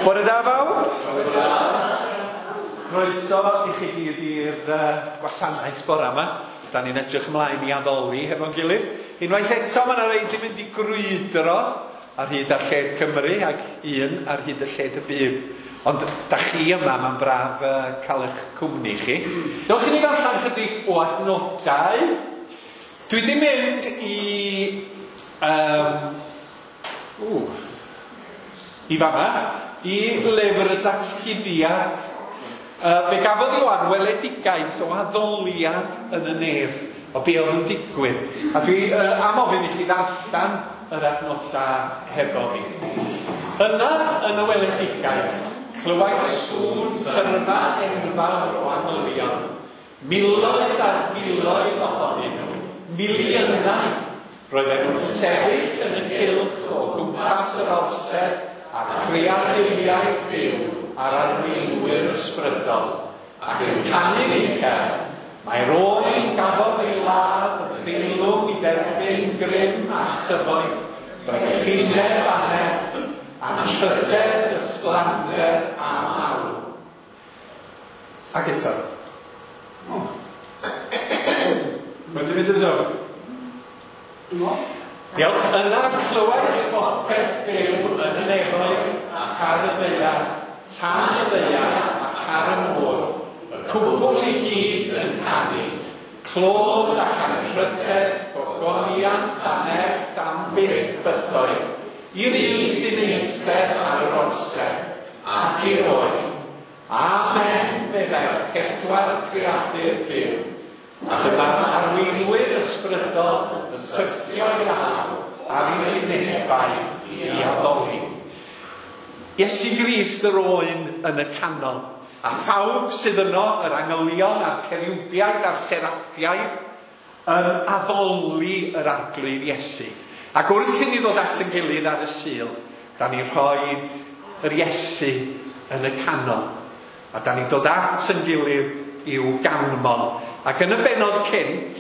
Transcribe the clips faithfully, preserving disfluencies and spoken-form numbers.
Bore da bawb. Croeso i chi gyd i'r uh, gwasanaeth bore yma. Da ni'n edrych ymlaen i addoli hefo'n gilydd. Unwaith eto mae yna rei di mynd i grwydro ar hyd a lled Cymru ac un ar hyd y lled y byd. Ond da chi yma, mae'n braf uh, cael eich cwmni chi. Dewch i ni ddarllen chydig o adnodau. Dwi di mynd i... Um, ww, i fama, i lyfr y datguddiad. Uh, fe gafodd Ioan weledigaeth o addoliad yn y nef, o be oedd yn digwydd. A dwi uh, am ofyn i chi ddarllen yr adnodau hefo fi. Yna, yn y weledigaeth, clywais sŵn tyrfa enfawr o angylion, miloedd ar filoedd ohonyn nhw, miliynau. Roedden nhw'n sefyll yn y cylch o gwmpas yr orsedd a'r creaduriaid byw a'r arweinwyr ysbrydol, ac yn canu'n uchel, mae'r oen gafodd ei ladd yn deilwng i dderbyn grym a chyfoeth, doethineb a nerth, anrhydedd, ysblander a mawl. Ac eto. Oh. Mae'n mynd y zone. Diolch. Yna clywais bopeth byw yn y nefoedd ac ar y ddaear, tan y ddaear ac ar y môr, y cwbl i gyd yn canu, clod ac anrhydedd, gogoniant a nerth am byth bythoedd, i'r un sy'n eistedd ar yr orsedd ac i'r oen. Amen, meddai'r pedwar creadur byw. A dyma'r arweinwyr ysbrydol yn syrthio i lawr ar eu hwynebau i addoli. Iesu Grist yr oen yn y canol, a phawb sydd yno, yr angylion a'r ceriwbiaid a'r seraffiaid, yn addoli yr Arglwydd Iesu. Ac wrth i ni ddod at ein gilydd ar y Sul, da ni'n rhoi yr Iesu yn y canol. A da ni'n dod at ein gilydd i'w ganmol. Ac yn y bennod cynt,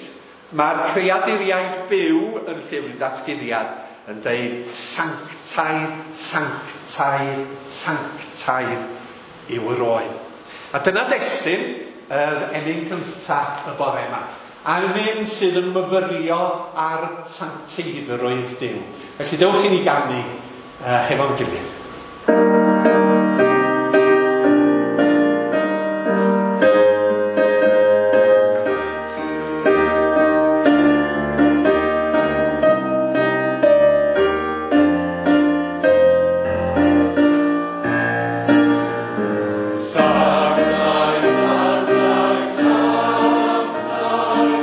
mae'r creaduriaid byw yn llyfr datguddiad yn deud sanctaidd, sanctaidd, sanctaidd yw yr oen. A dyna destun yr emyn cyntaf y bore yma. Emyn sydd yn myfyrio ar sancteiddrwydd Duw. Felly dewch i ni ganu uh, hefo'n gilydd. Sanctaidd, sanctaidd, sanctaidd,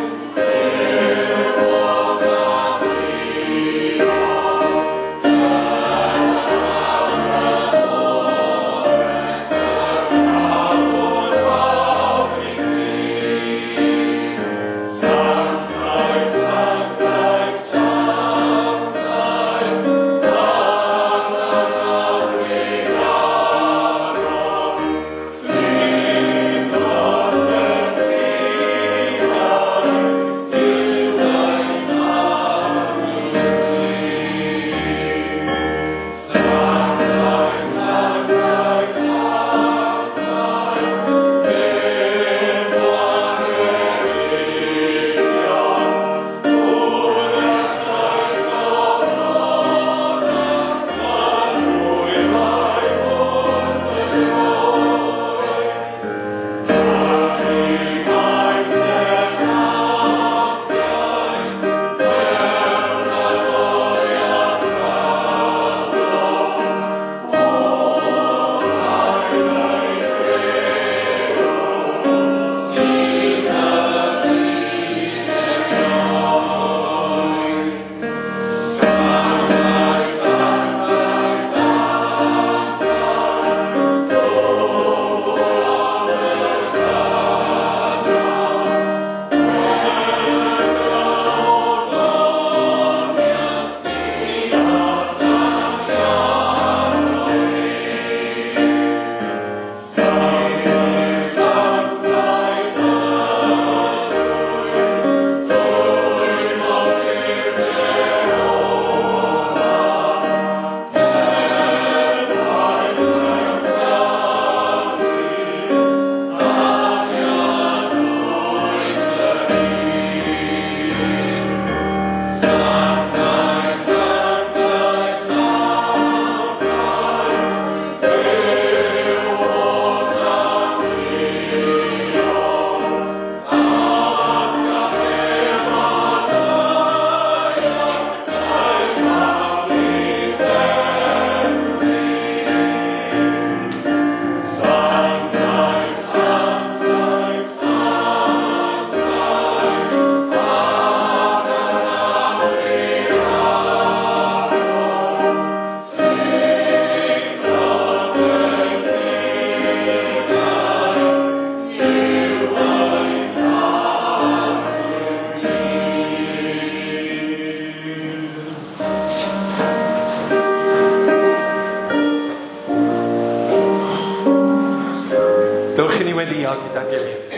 weddio gyda'n gilydd.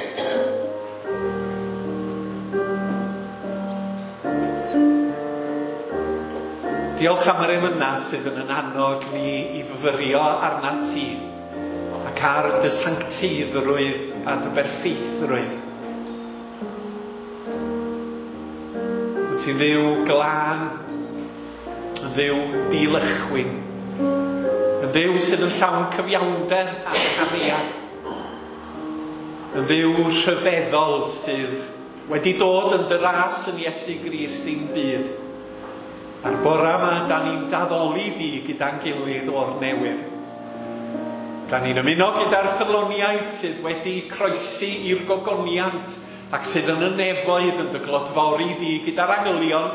Diolch am yr emynau sydd yn yn annog ni i fyfyrio arnat ti ac ar dy sancteiddrwydd a dy berffeithrwydd. Wyt ti'n Dduw glân, yn Dduw dilychwyn, yn Dduw sydd yn llawn cyfiawnder a chariad, yn Dduw rhyfeddol sydd wedi dod yn dy ras yn Iesu Grist i'n byd. A'r bora yma, da ni'n daddoli di gyda'n gilydd o'r newydd. Da ni'n ymuno gyda'r ffyddloniaid sydd wedi croesi i'r gogoniant ac sydd yn y nefoedd yn dy glodfori di gyda'r angylion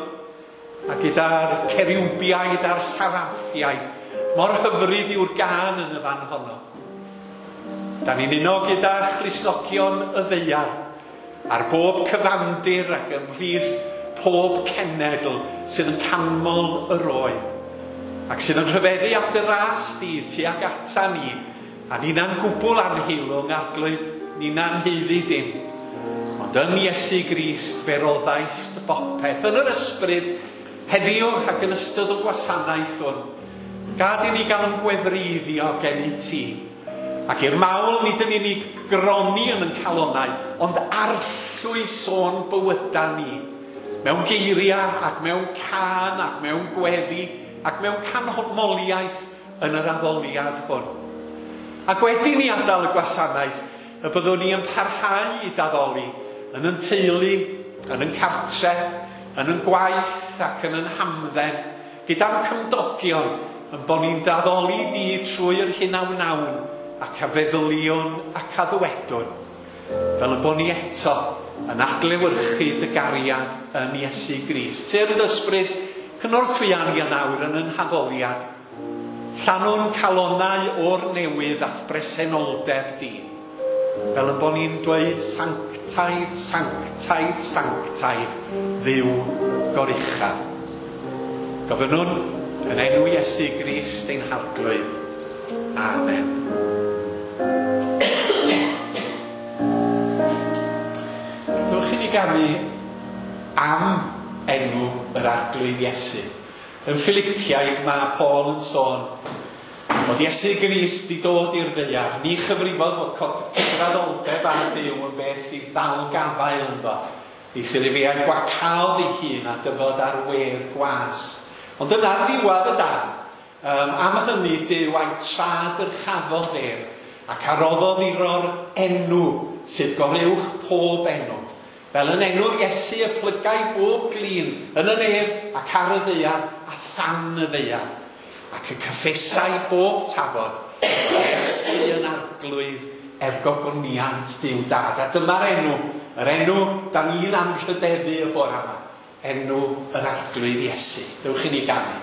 a gyda'r ceriwbiaid a'r saraffiaid. Mor hyfryd yw'r gân yn y fan honno. Da ni'n uno gyda Christnogion y ddaear ar bob cyfandir ac ymhlith pob cenedl sydd yn canmol yr oen ac sydd yn rhyfeddu at dy ras di tuag ata ni, a ni'na'n gwbl anheilwng, Arglwydd, ni'na'n haeddu dim. Ond yn Iesu Grist fe roddaist bopeth yn yr ysbryd heddiw ac yn ystod y gwasanaeth hwn. Gad i ni gael yn gwefreiddio gen i ti. Ac i'r mawl nid yn unig groni yn ein calonnau, ond arllwys o'n bywyda ni. Mewn geiriau ac mewn cân ac mewn gweddi ac mewn canmoliaeth yn yr addoliad hwn. Ac wedi ni adael y gwasanaeth, y byddwn ni yn parhau i daddoli yn yn teulu, yn yn cartre, yn yn gwaith ac yn yn hamdden, gyda'n cymdogion, yn bod ni'n daddoli di trwy'r hyn a wnawn ac a feddyliwn ac a ddywedwn, fel y bod ni eto yn adlewyrchu dy gariad yn Iesu Grist. Tyrd ysbryd, cynorthwya ni yn awr yn yn haddoliad. Llanw'n calonnau o'r newydd a'th bresenoldeb di, fel y bod ni'n dweud sanctaidd, sanctaidd, sanctaidd, Dduw goruchaf. Gofynnwn yn enw Iesu Grist ein Harglwydd. Amen. Dewch i ni ganu am enw yr Arglwydd Iesu. Yn Philippiaid mae Paul yn sôn bod Iesu Grist di dod i'r ddaear. Ni chyfrifodd fod cydraddoldeb â Duw yn beth i ddal gafael ynddo. Eithr ei fe a gwacaodd ei hun a dyfod ar wedd gwas. Ond yna ar ddiwedd y darn, um, am hynny Duw a'i tra-dyrchafodd ef ac a roddodd iddo'r enw sydd goruwch pob enw. Fel yn enw'r Iesu y plygai bob glin yn y nef ac ar y ddaear a than y ddaear, ac y cyffesai bob tafod Iesu yn Arglwydd er gogoniant Duw Dad. A dyma'r enw, yr enw da ni'n anrhydeddu y bore yma, enw yr Arglwydd Iesu. Dewch i ni ganu.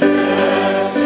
Yes,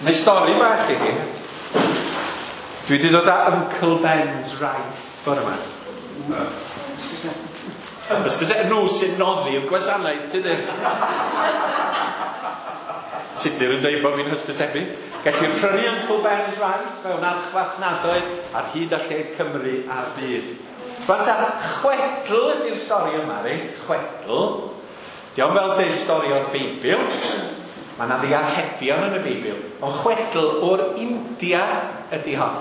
Neu stori bach i chi. Dwi wedi dod â Uncle Ben's Rice bore yma. Ysbyse, nhw sy'n noddi'r gwasanaeth, Tudur. Tudur yn dweud bod fi'n hysbysebu. Gellir prynu Uncle Ben's Rice mewn archfarchnadoedd ar hyd a lled Cymru a'r byd. Rwan ta, chwedl ydy'r stori yma, reit? Chwedl. Dio'm fel deud stori o'r Beibl. Mae yna ddiarhebion yn y Beibl. Ond chwedl o'r India ydy hon.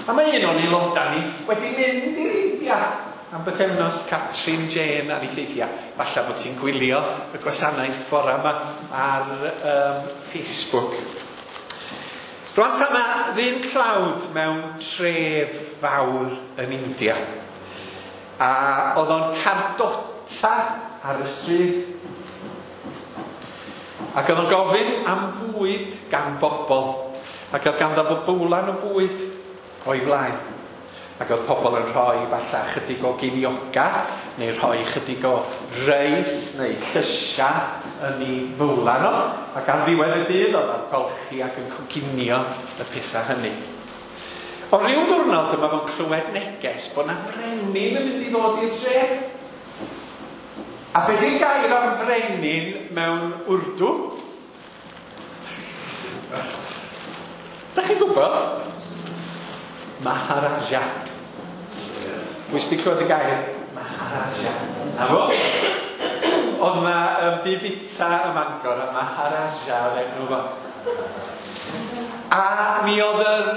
A mae un o'n aelodau ni wedi mynd i'r India am bythefnos, Catrin Jane ar ei theithiau. Falle bod ti'n gwylio y gwasanaeth bore yma ar um, Facebook. Rwan ta, 'na ddyn tlawd mewn tref fawr yn India. A oedd o'n cardota ar y stryd. Ac oedd o'n gofyn am fwyd gan bobl. Ac oedd ganddo fo bowlan o fwyd o'i flaen. Ac oedd pobl yn rhoi falle chydig o geiniogau, neu rhoi chydig o reis, neu llysiau yn ei fowlan o. Ac ar ddiwedd y dydd oedd o'n golchi ac yn coginio y pethau hynny. O ryw ddwrnod dyma fo'n clywed neges bod 'na frenin yn mynd i ddod i'r dref. A be di'r gair am frenin mewn Wrdw? Da chi'n gwybod? Maharaja. Pwy sydd wedi clywed y gair? Maharaja. Na fo? Oedd na um, di bita ym Mangor, a Maharaja oedd enw fo. A mi oedd yr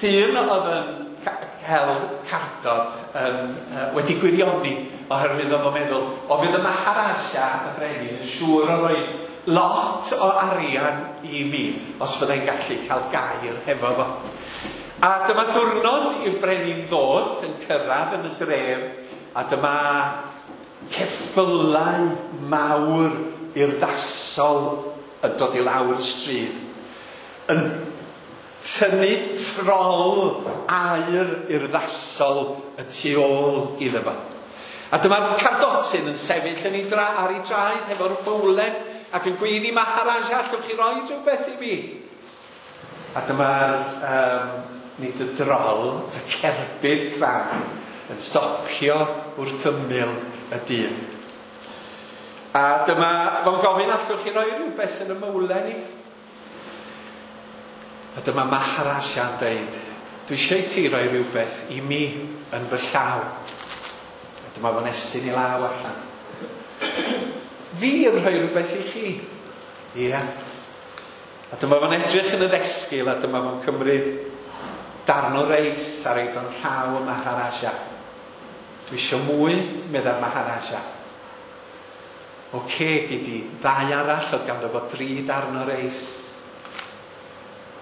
dyn oedd yn cael cardod yn, uh, wedi gwirioni, oherwydd oedd o'n meddwl, o fydd y Maharaja, y brenin, yn siŵr o roi lot o arian i mi, os fyddai'n gallu cael gair hefo fo. A dyma diwrnod i'r brenin ddod yn cyrraedd yn y dref, a dyma ceffylau mawr urddasol yn dod i lawr y stryd, yn tynnu trol aur urddasol y tu ôl iddo fo. A dyma'r cardotyn yn sefyll yn ei dra, ar ei draed hefo'r bowlen ac yn gweiddi, Maharaja, allwch chi roi rhywbeth i mi? A dyma'r, um, nid y drol, y cerbyd crand yn stopio wrth ymyl y dyn. A dyma fo'n gofyn, allwch chi roi rhywbeth yn y mowlen i? A dyma Maharaja'n dweud, dwi eisiau i ti roi rhywbeth i mi yn fy llaw. A dyma fo'n estyn i law allan. Fi yn rhoi rhywbeth i chi. Ie. Yeah. A dyma fo'n edrych yn y ddesgyl, a dyma fo'n cymryd darn o reis a roid o'n llaw y Maharaja. Dwi eisiau mwy, meddai'r Maharaja. Oce, gei di ddau arall, oedd ganddo fo dri darn o reis.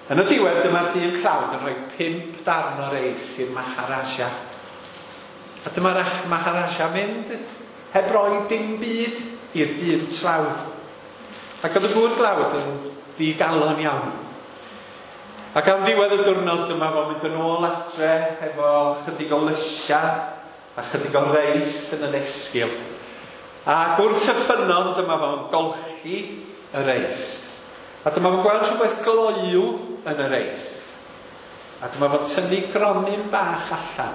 Yn y diwedd, dyma'r dyn tlawd yn rhoi pump darn o reis i'r Maharaja. A dyma'r Maharaja mynd heb roi dim byd i'r dyn tlawd. Ac oedd y gŵr dlawd yn ddigalon iawn. Ac ar ddiwedd y diwrnod dyma fo'n mynd yn ôl adre efo chydig o lysiau a chydig o reis yn y ddesgyl. Ac wrth y ffynnon dyma fo'n golchi y reis. A dyma fo'n gweld rhywbeth gloyw yn y reis. A dyma fo'n tynnu gronyn bach allan.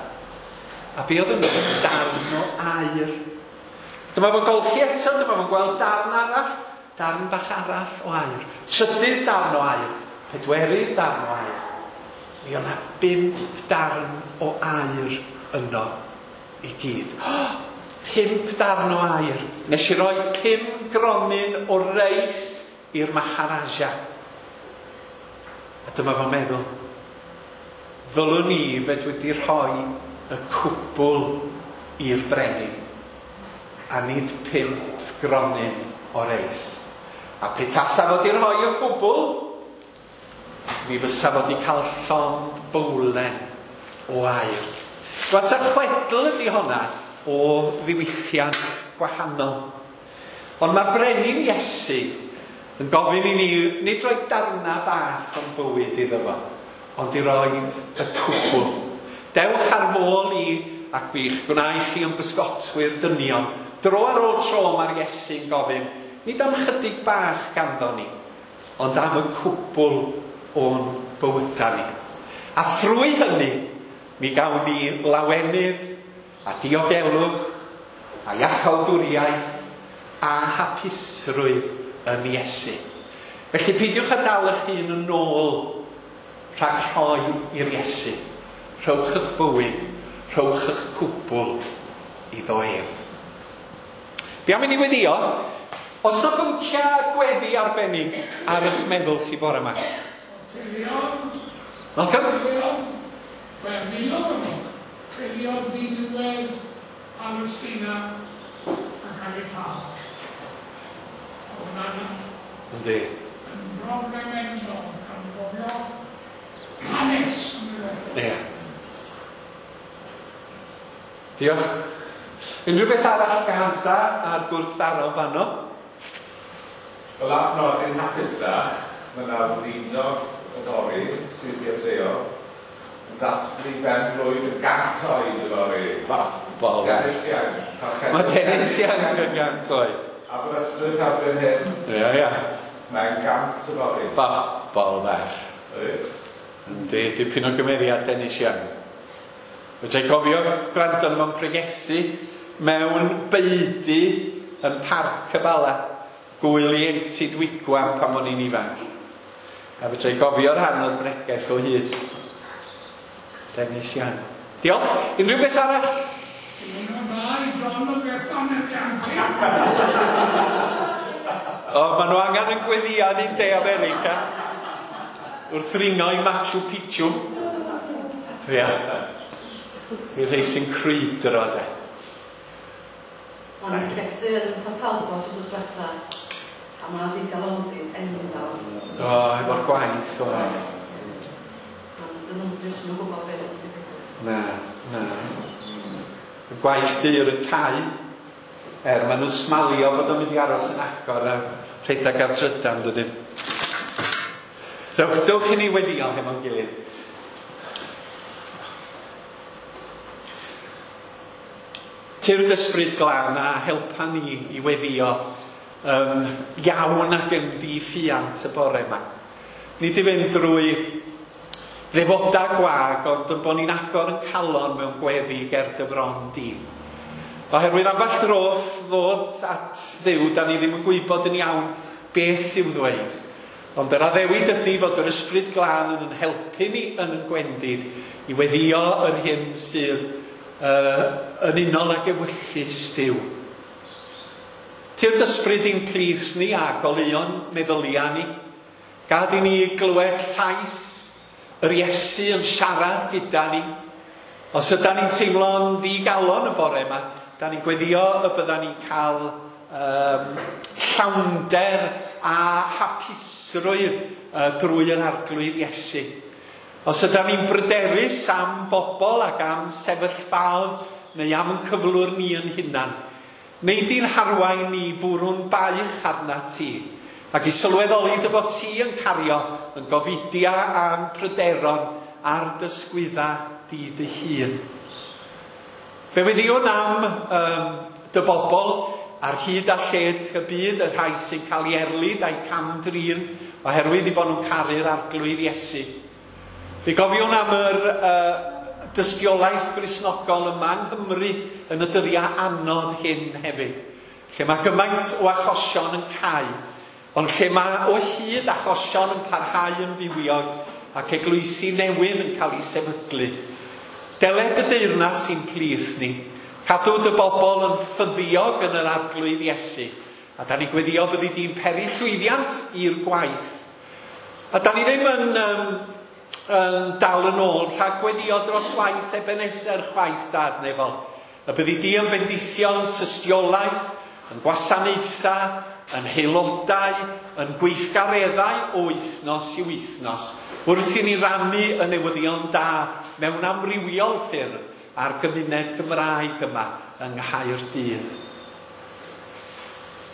A be oedd yno? Darn o aur. Dyma fo'n golchi eto, dyma fo'n gweld darn arall, darn bach arall o aur. Trydydd darn o aur, pedwerydd darn o aur. Mi oedd 'na bump darn o aur yno i gyd. Oh, pump darn o aur. Nes i roi pum gronyn o reis i'r Maharaja. A dyma fo'n meddwl, ddylwn i fod wedi rhoi y cwbl i'r brenin, a nid pump gronyn o reis. A pe tasa fo 'di rhoi y cwbl, mi fysa fo 'di cael llond bowlen o aur. Rwan ta chwedl ydy honna o ddiwylliant gwahanol. Ond mae'r brenin Iesu yn gofyn i ni nid roi darna bach o'n bywyd iddo fo, ond i roi y cwbl. Dewch ar f'ôl i ac fi'ch gwna i chi yn bysgotwyr dynion. Dro ar ôl tro mae'r Iesu'n gofyn, nid am chydig bach ganddo ni, ond am y cwbl o'n bywydau ni. A thrwy hynny, mi gawn ni lawenydd a diogelwch a iachawdwriaeth a hapusrwydd yn Iesu. Felly peidiwch â dal eich hun yn ôl rhag rhoi i'r Iesu. Rhowch eich bywyd, rhowch eich cwbl iddo ef. Fi am i ni weddio, os yna bynciau gweddi arbennig ar eich meddwl chi bore yma? Malcolm? Wel, miloedd o'n nhw. Teuluoedd diniwed, Palestina yn cael ei lladd. Hwnna'n Yndi. yn broblem enfawr, gan gofio hanes yn y Ie. Diolch. Unrhyw beth arall Gaza a'r gwrthdaro fanno? Wel, ar nodyn hapusach, mae yna weinidog yfory sydd wedi ymddeol yn dathlu ben blwydd yn gant oed yfory. Bobl. Dennis Young. Parchedig Mae Dennis Young yn gant oed. Aberystwyth erbyn hyn, Ie, ie. mae'n gant yfory. Bobl bach. Ydy? Yndi, dipyn o gymeriad Dennis Young. Fedra i gofio gwrando arno fo'n pregethu mewn beudy yn Parc y Bala, gwyl ieuenctid Wigwam pan o'n i'n ifanc. A fedra i gofio'r rhan o'r bregeth o hyd. Dennis Young. Diolch. Unrhyw beth arall? Diwrnod dda i John o Bethan Elianti. O, maen nhw angen yn gweddio ni'n De America. Wrth ringo i Machu Picchu. Ia. I rhai sy'n crwydro, de. O'n i'n pregethu yn Port Talbot wythnos diwetha, a mae 'na ddigalondid enfawr. O, efo'r gwaith, oes. Dyn nhw'n jyst yn gwybod beth sy'n digwydd. Na, na. Y gwaith dur yn cau. Er, maen nhw'n smalio fod o'n mynd i aros yn agor a rhedeg ar drydan, dydyn. Rewch, dewch i ni weddio hefo'n gilydd. Tyrd ysbryd glân a helpa ni i weddio um, iawn ac yn ddiffuant y bore yma. Ni di fynd drwy ddefoda gwag, ond yn bod ni'n agor yn calon mewn gweddi ger dy fron di. Oherwydd ambell dro ddod at Dduw, da ni ddim yn gwybod yn iawn beth i'w ddweud. Ond yr addewid ydy fod yr ysbryd glân yn yn helpu ni yn yn gwendid i weddio yr hyn sydd uh, yn unol ag ewyllys Duw. Tyrd ysbryd i'n plith ni a goleuon meddylia ni. Gad i ni glywed llais yr Iesu yn siarad gyda ni. Os ydan ni'n teimlo'n ddigalon y bore yma, da ni'n gweddio y byddan ni'n cael um, llawnder a hapusrwydd uh, drwy yr Arglwydd Iesu. Os ydan ni'n bryderus am bobl ac am sefyllfaoedd neu am yn cyflwr ni yn hunan, neu di'n harwain ni fwrw'n baich arna ti, ac i sylweddoli dy fod ti yn cario yn gofidia a'n pryderon a'r dysgwydda di dy hun. Fe weddiwn am um, dy bobl ar hyd a lled y byd, y rhai sy'n cael ei erlid a'i cam-drin oherwydd i bod nhw'n caru'r Arglwydd Iesu. Fe gofiwn am yr uh, dystiolaeth Gristnogol yma yng Nghymru yn y dyddiau anodd hyn hefyd, lle mae gymaint o achosion yn cau, ond lle mae o hyd achosion yn parhau yn fywiog ac eglwysi newydd yn cael eu sefydlu. Deled y deyrnas i'n plith ni, cadw dy bobl yn ffyddiog yn yr Arglwydd Iesu, a da ni'n gweddio byddi di'n peri llwyddiant i'r gwaith. A da ni ddim yn, um, yn dal yn ôl rhag gweddio dros waith Ebenezer chwaith dad nefol. Y byddi di yn bendithion tystiolaeth, yn gwasanaethau, yn haelodau, yn gweithgareddau o wythnos i wythnos, wrth i ni rannu y newyddion da mewn amrywiol ffyrdd a'r gymuned Gymraeg yma yng Nghaerdydd.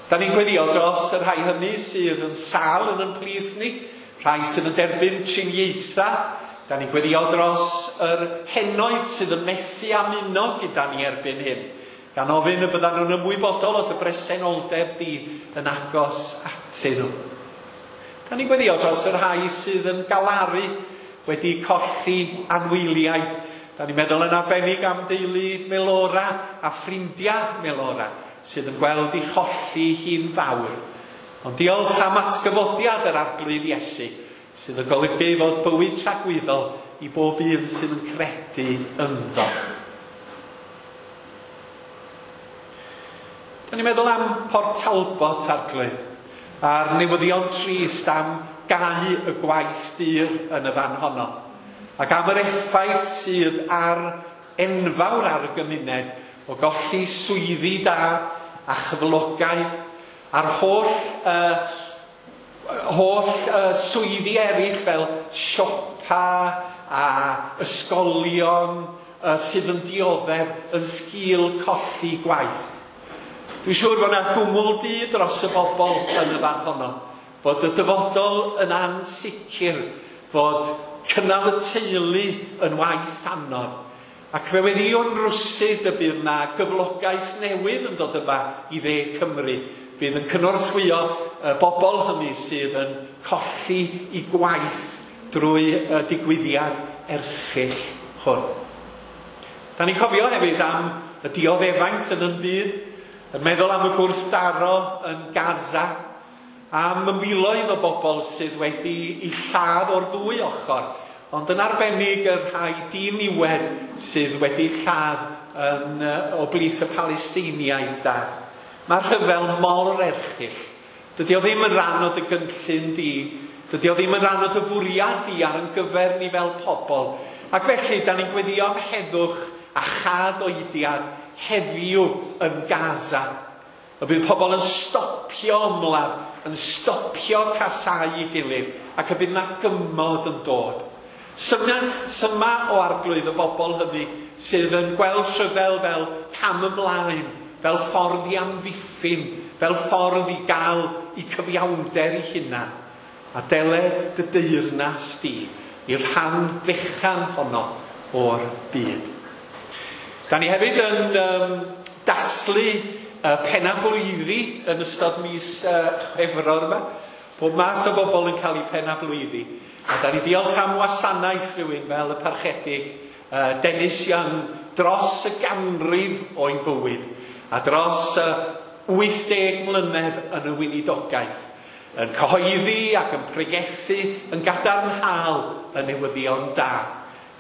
Da ni'n gweddio dros y rhai hynny sydd yn sâl yn yn plith ni, rhai sydd yn derbyn triniaethau. Da ni'n gweddio dros yr henoed sydd yn methu amuno gyda ni erbyn hyn, gan ofyn y byddan nhw'n ymwybodol o dy bresenoldeb di yn agos atyn nhw. Da ni'n gweddio dros y rhai sydd yn galaru wedi colli anwyliaid. Da ni'n meddwl yn arbennig am deulu Melora a ffrindiau Melora sydd yn gweld ei cholli hi'n fawr. Ond diolch am atgyfodiad yr Arglwydd Iesu sydd yn golygu fod bywyd tragwyddol i bob un sydd yn credu ynddo. Da ni'n meddwl am Port Talbot, Arglwydd, a'r newyddion trist am gau y gwaith dur yn y fan honno, ac am yr effaith sydd ar enfawr ar y gymuned o golli swyddi da a chyflogau, a'r holl, uh, holl uh, swyddi eraill fel siopa a ysgolion uh, sydd yn dioddef yn sgil colli gwaith. Dwi'n siŵr fod yna gwmwl du dros y bobl yn y fan honno, fod y dyfodol yn ansicr, fod cynnal y teulu yn waith anodd. Ac fe weddïwn rwsyd y bydd yna gyflogaeth newydd yn dod yma i dde Cymru, fydd yn cynorthwyo y bobl hynny sydd yn colli i gwaith drwy y digwyddiad erchyll hwn. Da ni'n cofio hefyd am y dioddefaint yn yn byd, yn meddwl am y gwrthdaro yn Gaza, am y miloedd o bobl sydd wedi eu lladd o'r ddwy ochr, ond yn arbennig y rhai diniwed sydd wedi lladd yn, o blith y Palestiniaid da. Mae'r rhyfel mor erchyll. Dydy o ddim yn rhan o dy gynllun di, dydy o ddim yn rhan o dy fwriad di ar yn gyfer ni fel pobl. Ac felly, da ni'n gweddio am heddwch a chad oediad heddiw yn Gaza. Y bydd pobl yn stopio ymladd, yn stopio casau i gilydd, ac y bydd na gymod yn dod. Syma, syma o Arglwydd y bobl hynny sydd yn gweld rhyfel fel cam ymlaen, fel ffordd i amddiffyn, fel ffordd i gael i cyfiawnder i hunan. A deled dy deyrnas di i'r rhan fechan honno o'r byd. Da ni hefyd yn um, daslu uh, penna-blwyddi yn ystod mis uh, Chwefror yma. Pob mas o bobl yn cael eu penna-blwyddi. A da ni diolch am wasanaeth rhywun fel y parchedig uh, Dennis Young dros y ganrif o'i fywyd a dros uh, wyth deg mlynedd yn y weinidogaeth, yn cyhoeddi ac yn pregethu yn gadarnhaol y newyddion da.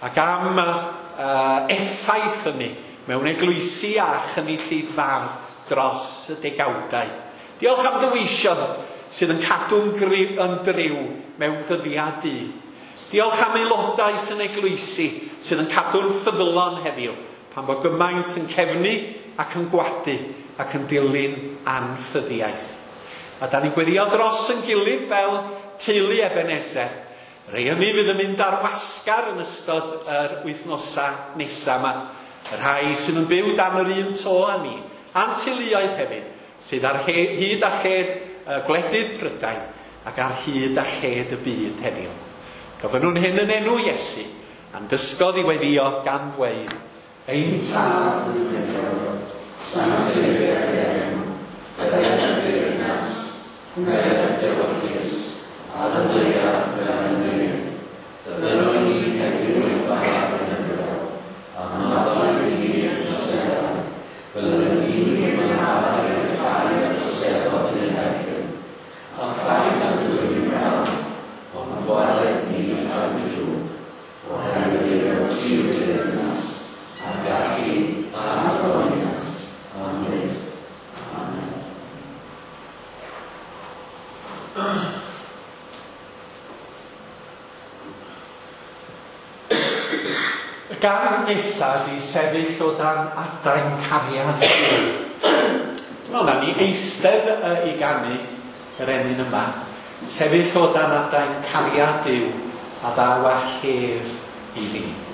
Ac am uh, effaith hynny mewn eglwysi a chynulleidfaoedd dros y degawdau. Diolch am dy weision sydd yn cadw'n yn driw mewn dyddiau du. Diolch am aelodau sy'n eglwysi sydd yn cadw'n ffyddlon heddiw, pan bod gymaint yn cefnu ac yn gwadu ac yn dilyn anffyddiaeth. A da ni'n gweddio dros yn gilydd fel teulu Ebenezer. Rhai hynny fydd yn mynd ar wasgar yn ystod yr wythnosau nesaf yma. Y rhai sydd yn byw dan yr un to â ni, a'n teuluoedd hefyd, sydd ar hyd a lled gwledydd Prydain ac ar hyd a lled y byd heddiw. Gofynnwn hyn yn enw Iesu, a'n dysgodd i weddio gan ddweud, Ein Tad yn y nefoedd, sancteiddier dy enw, deued dy deyrnas, gwneued dy ewyllys, ar y ddaear fel yn y nef. Dynwn ni heddiw ein bara beunyddiol, a maddau i ni ein troseddau, fel y ni yn maddau i'r rhai a droseddodd yn ein erbyn. A phaid â'n dwyn i brawf, ond gwared ni rhag y drwg, oherwydd eiddo ti yw'r deyrnas, a'r gallu, a'r gogoniant, am byth. Amen. Y gan nesaf di sefyll o dan adain cariad. Dwi'n meddwl na ni eistedd uh, i ganu yr emyn yma. Sefyll o dan adain cariad Duw a ddaw â hedd i fi. Sefyll o dan adain cariad Duw, a ddaw â hedd i fi.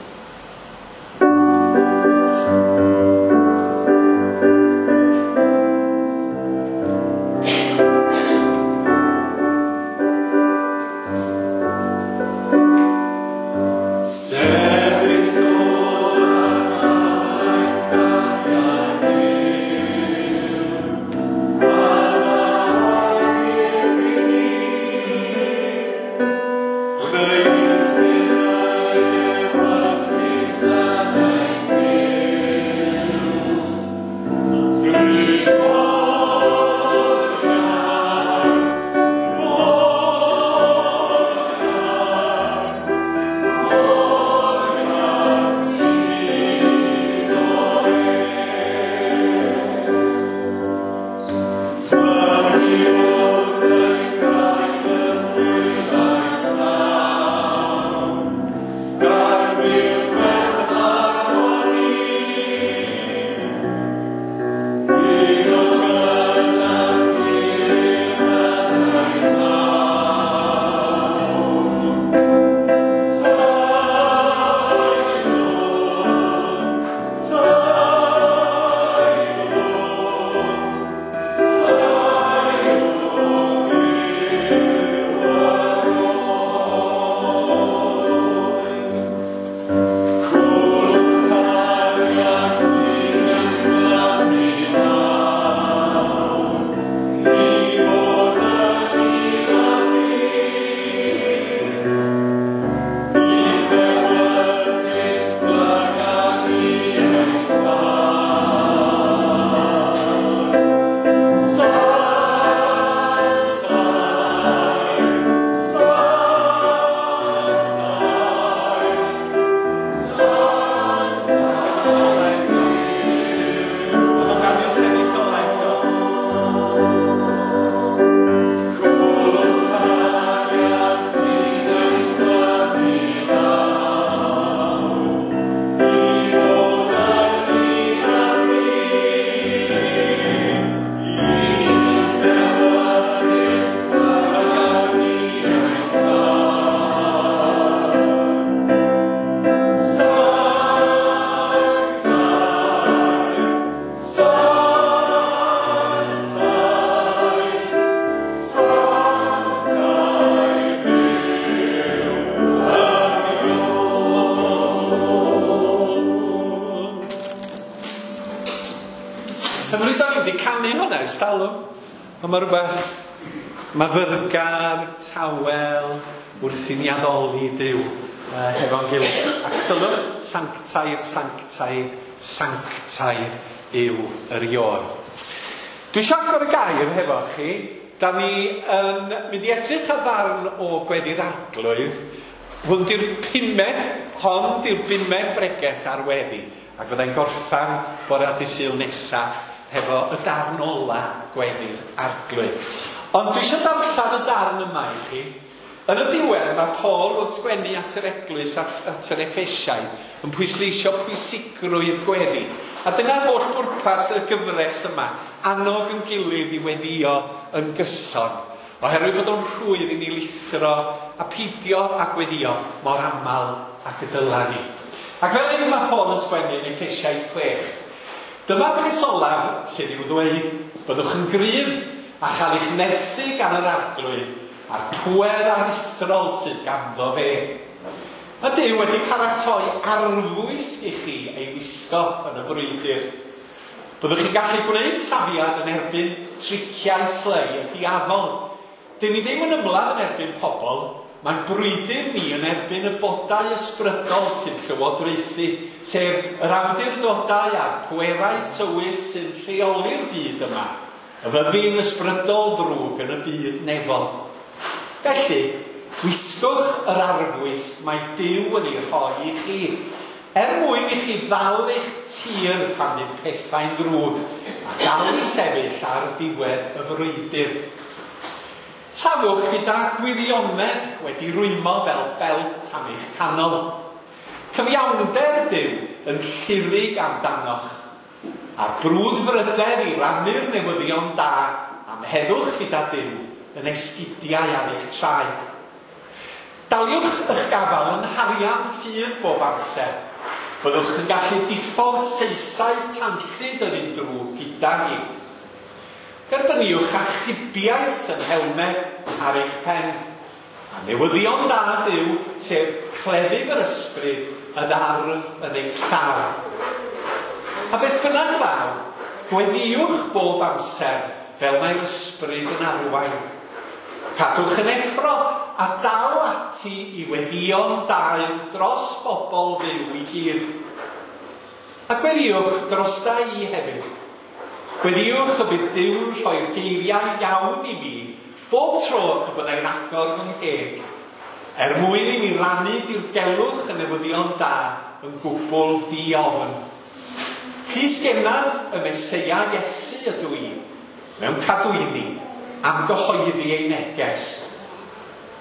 Cymru, da ni wedi canu hwnna ers talwm. Ond mae rhywbeth myfyrgar, tawel, wrth i ni addoli Duw uh, hefo'n gilydd. Ac sylwch, sanctaidd, sanctaidd, sanctaidd yw yr Ion. Dwi eisiau agor y gair hefo chi. Da ni yn mynd i edrych ar ddarn o Gweddi'r Arglwydd. Hwn di'r pumed, hon di'r bumed bregeth ar weddi. Ac fyddai'n gorffan bore dydd Sul nesa hefo y darn ola Gweddi'r Arglwydd. Ond dwi eisiau darllen y darn yma i chi. Yn y diwedd mae Paul wrth sgwennu at yr eglwys, at, at yr Effesiaid, yn pwysleisio pwysigrwydd gweddi. A dyna holl bwrpas y gyfres yma, annog yn gilydd i weddio yn gyson. Oherwydd bod o'n rhwydd i ni lithro a peidio a gweddio mor aml ac y dyla ni. Ac fel hyn mae Paul yn sgwennu yn Effesiaid chwech. Dyma'r peth olaf sydd i'w ddweud, byddwch yn gryf a chael eich nerthu gan yr Arglwydd a'r pŵer aruthrol sydd ganddo fe. Mae Duw wedi paratoi arfwisg i chi ei wisgo yn y frwydr. Byddwch chi'n gallu gwneud safiad yn erbyn triciau slei y diafol. Dyn ni ddim yn ymladd yn erbyn pobl, mae'n brwydr ni yn erbyn y bodau ysbrydol sy'n llywodraethu, sef yr awdurdodau a'r pwerau tywyll sy'n rheoli'r byd yma, y fyddin ysbrydol ddrwg yn y byd nefol. Felly, wisgwch yr arfwisg mae Duw yn ei rhoi i chi, er mwyn i chi ddal eich tir pan fydd pethau'n ddrwg, a dal i sefyll ar ddiwedd y frwydr. Safwch gyda gwirionedd wedi rwymo fel belt am eich canol. Cyfiawnder Duw yn llurig amdanoch, a'r brwdfrydedd i rannu'r newyddion da am heddwch gyda Duw yn esgidiau ar eich traed. Daliwch eich gafal yn harian ffydd bob amser. Byddwch yn gallu diffodd saethau tanllyd yr un drwg gyda ni. Derbyniwch achubiaeth yn helmed ar eich pen. A newyddion da Duw, sef cleddyf yr ysbryd yn arf yn eich llaw. A beth bynnag ddaw, gweddiwch bob amser fel mae'r ysbryd yn arwain. Cadwch yn effro a dal ati i weddïo'n daer dros bobl fyw i gyd. A gweddiwch drosta i hefyd. Gweddiwch y bydd Duw'n rhoi'r geiriau iawn i mi bob tro y byddai'n agor fy ngheg, er mwyn i mi rannu dirgelwch y newyddion da yn gwbl ddiofn. Llysgennad y Meseia Iesu ydw i, mewn cadwyni, am gyhoeddi ei neges.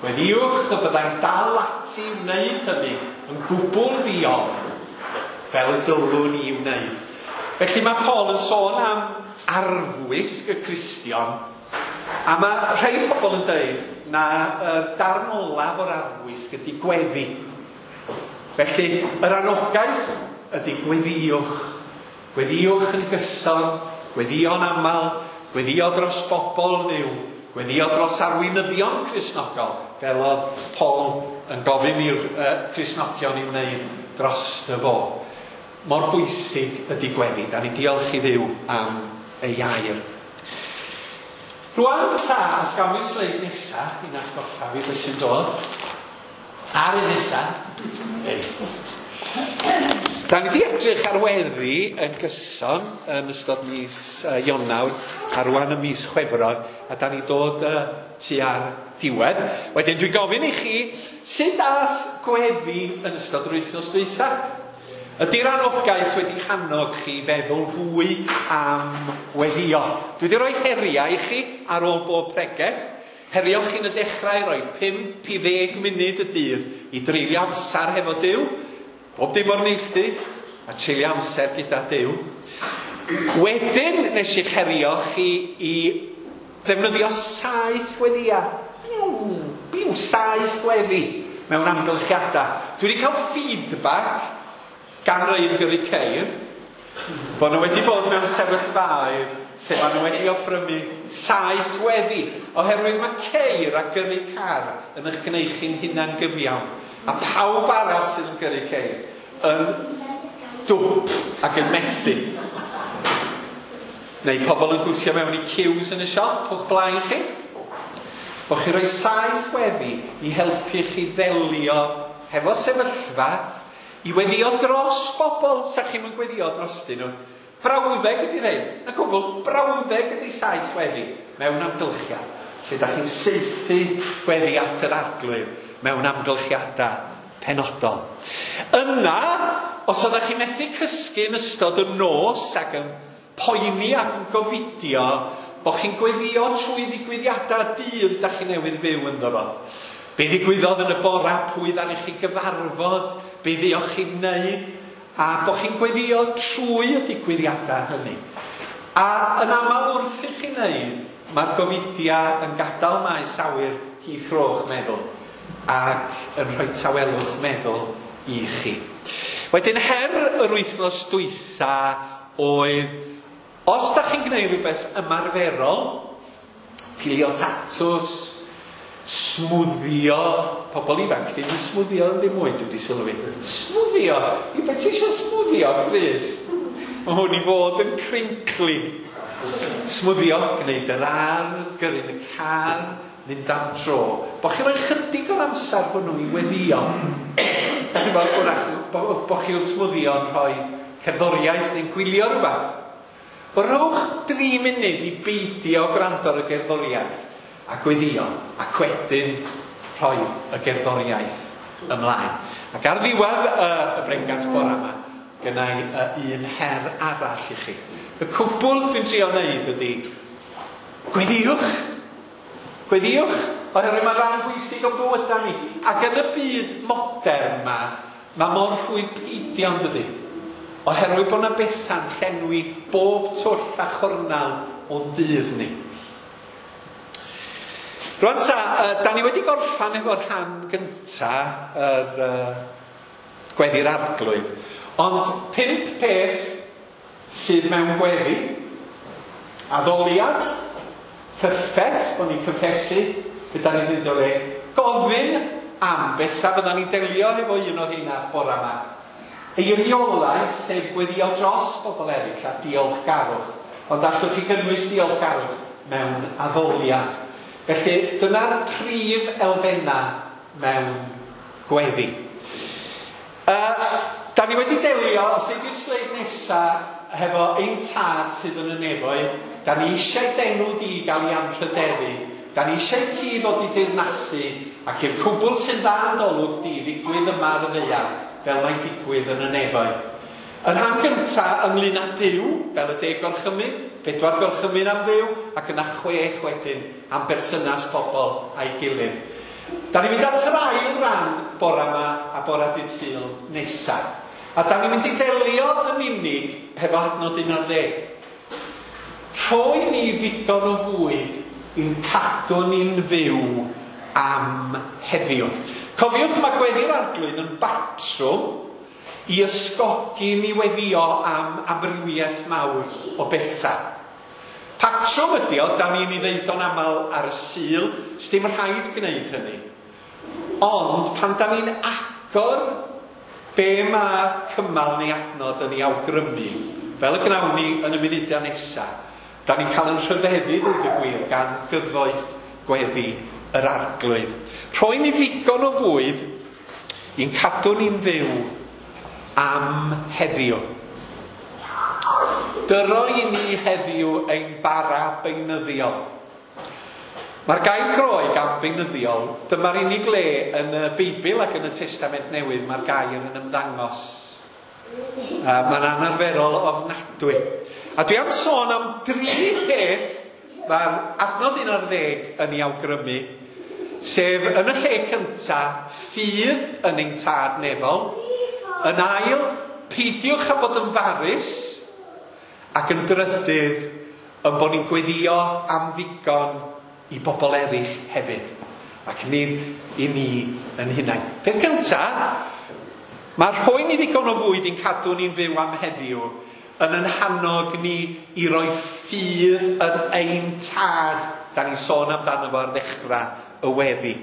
Gweddiwch y byddai'n dal ati i wneud hynny yn gwbl ddiofn, fel y dylwn i wneud. Felly mae Paul yn sôn am arfwisg y Cristion, a mae rhai pobl yn dweud na y darn olaf o'r arfwisg ydy gweddi. Felly yr anogaeth ydy gweddiwch. Gweddiwch yn gyson, gweddio'n aml, gweddio dros bobl Dduw, gweddio dros arweinyddion Cristnogol, fel oedd Paul yn gofyn i'r uh, Cristnogion i wneud dros y fo. Mor bwysig ydy gweddi. Da ni'n diolch i Dduw am ei air. Rwan ta, os gawn ni'r sleid nesa, i'n atgoffa fi beth sy'n dod. Ar y nesa. Reit. Da ni wedi edrych ar weddi yn gyson yn ystod mis uh, Ionawr a rwan y mis Chwefror, a da ni dod uh, tua'r diwedd. Wedyn dwi'n gofyn i chi, sut ath gweddi yn ystod yr wythnos dwytha? Ydy'r anogaeth wedi hannog chi feddwl fwy am weddio? Dwi wedi rhoi heriau i chi ar ôl bob pregeth. Herio chi'n y dechrau rhoi pump i ddeg munud y dydd i dreulio amser hefo Duw. Bob dim o'r neilltu, a treulio amser gyda Duw. Wedyn nes i'ch herio chi i ddefnyddio saith weddia. Biw, biw, saith weddi mewn amgylchiadau. Dwi wedi cael feedback gan rei yn gyrru ceir, bod nhw wedi bod mewn sefyllfaoedd lle maen nhw wedi offrymu saith weddi, oherwydd mae ceir a gyrru car yn eich gwneud chi'n hunan gyfiawn, a pawb arall sydd yn gyrru ceir yn dwp ac yn methu. Neu pobl yn gwthio mewn i ciws yn y siop o'ch blaen chi. Bo chi roi saith weddi i helpu chi ddelio hefo sefyllfa, i weddio dros bobl, sa chi'm yn gweddio drostyn nhw. Brawddeg ydy rhain, na cwbl, brawddeg ydy saith weddi mewn amgylchiad, lle da chi'n saethu gweddi at yr Arglwydd mewn amgylchiadau penodol. Yna, os oeddech chi'n methu cysgu yn ystod y nos ac yn poeni ac yn gofidio, bod chi'n gweddio trwy ddigwyddiadau dydd da chi newydd fyw ynddo fo. Be ddigwyddodd yn y bora, pwy ddaru chi gyfarfod, be fuoch chi'n wneud, a bod chi'n gweddio trwy y digwyddiadau hynny. A yn aml wrth i chi wneud, mae'r gofidiau yn gadael maes awyr Heathrow meddwl ac yn rhoi tawelwch meddwl i chi. Wedyn her yr wythnos dwytha oedd, os da chi'n gwneud rhywbeth ymarferol, pilio tatws, smwddio, pobl ifanc ddim yn smwddio yn ddim mwy, dwi wedi sylwi. Smwddio? I beth ti eisiau smwddio, Chris? Mae hwn i fod yn crinkly. Smwddio, gwneud yr ardd, gyrru'n y car, mynd am dro. Bo chi'n rhoi chydig o'r amser hwnnw i weddio. Da chi'n bod, wrach, bo, bo chi wrth smwddio yn rhoi cerddoriaeth neu'n gwylio rhywbeth. Rhowch dri munud i beidio gwrando ar y gerddoriaeth a gweddio, ac wedyn rhoi y gerddoriaeth ymlaen. Ac ar ddiwedd y, y bregeth bora yma, gynna i un her arall i chi. Y cwbl dwi'n trio wneud ydy, gweddiwch. Gweddiwch, oherwydd mae rhan bwysig o'n bywydau ni. Ac yn y byd modern yma, mae mor rhwydd peidio, yn dydy. Oherwydd bod yna bethau'n llenwi bob twll a chornel o'n dydd ni. Rwan ta, uh, da ni wedi gorffan efo'r rhan gynta, yr uh, gweddi'r Arglwydd. Ond pump peth sydd mewn gweddi: addoliad, cyffes, bod ni'n cyffesu gyda ni'n mynd o le, gofyn am bethau, fydda ni'n delio efo un o'r rheina bora yma. Eiriolaeth, sef gweddio dros bobl eraill a diolchgarwch. Ond allwch chi gynnwys diolchgarwch mewn addoliad. Felly, dyna'r prif elfennau mewn gweddi. Uh, da ni wedi delio, os ydy'r sleid nesaf, hefo ein tad sydd yn y nefoedd. Da ni eisiau d'enw di gael ei anrhydeddu. Da ni eisiau ti ddod i deyrnasu, ac i'r cwbl sy'n dda yn dolwg di ddigwydd yma ar y ddaear, fel mae'n digwydd yn y nefoedd. Y rhan gyntaf ynglyn â Duw, fel y deg gorchymyn, pedwar gorchymyn am Dduw, ac yna chwech wedyn am berthynas pobl a'i gilydd. Da ni'n mynd at yr ail ran bora yma a bora dydd Sul nesaf. A da ni'n mynd i ddelio yn unig hefo adnod un ar ddeg. Rhoi ni ddigon o fwyd i'n cadw ni'n fyw am heddiw. Cofiwch, mae gweddi'r Arglwydd yn batrwm i ysgogi ni weddio am amrywiaeth mawr o bethau. Patrwm ydi o, da ni'n ei ddeud o'n aml ar y Sul, sdim rhaid gwneud hynny. Ond pan da ni'n agor be mae cymal neu adnod yn ei awgrymu, fel y gnawn ni yn y munudau nesaf, da ni'n cael yn rhyfeddu, dweud y gwir, gan gyfoeth gweddi yr Arglwydd. Rhoi ni ddigon o fwyd i'n cadw ni'n fyw am heddiw. Dyro i ni heddiw ein bara beunyddiol. Mae'r gair Groeg am beunyddiol, dyma'r unig le yn y Beibl ac yn y Testament Newydd mae'r gair yn ymddangos. Uh, mae'n anarferol ofnadwy. A dwi am sôn am dri peth mae'r adnod un ar ddeg yn ei awgrymu, sef yn y lle cyntaf, ffydd yn ein tad nefol. Yn ail, peidiwch â bod yn farus, ac yn drydydd, yn bod ni'n gweddio am ddigon i bobl eraill hefyd, ac nid i ni yn hunain. Peth cyntaf, mae rhoi ni ddigon o fwyd i'n cadw ni'n fyw am heddiw yn yn hannog ni i roi ffydd yn ein tad. Da ni'n sôn amdano fo ar ddechrau y weddi.